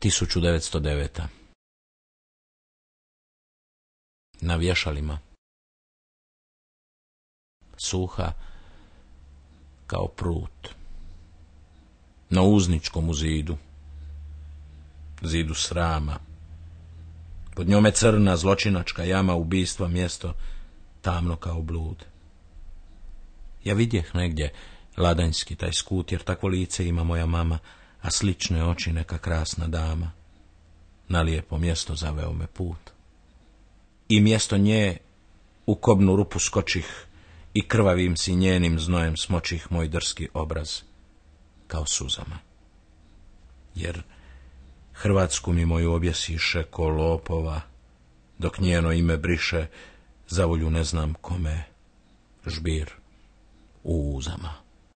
1909. Na vješalima. Suha kao prut. Na uzničkom zidu. Zidu srama. Pod njome crna zločinačka jama ubistva, mjesto tamno kao blud. Ja vidjeh negdje ladanjski taj skut, jer takvo lice ima moja mama, a slične oči neka krasna dama. Na lijepo mjesto zaveo me put. I mjesto nje u kobnu rupu skočih i krvavim si njenim znojem smočih moj drski obraz kao suzama. Jer Hrvatsku mi moju objesiše ko lopova, dok njeno ime briše, zavolju ne znam kome, žbir u uzama.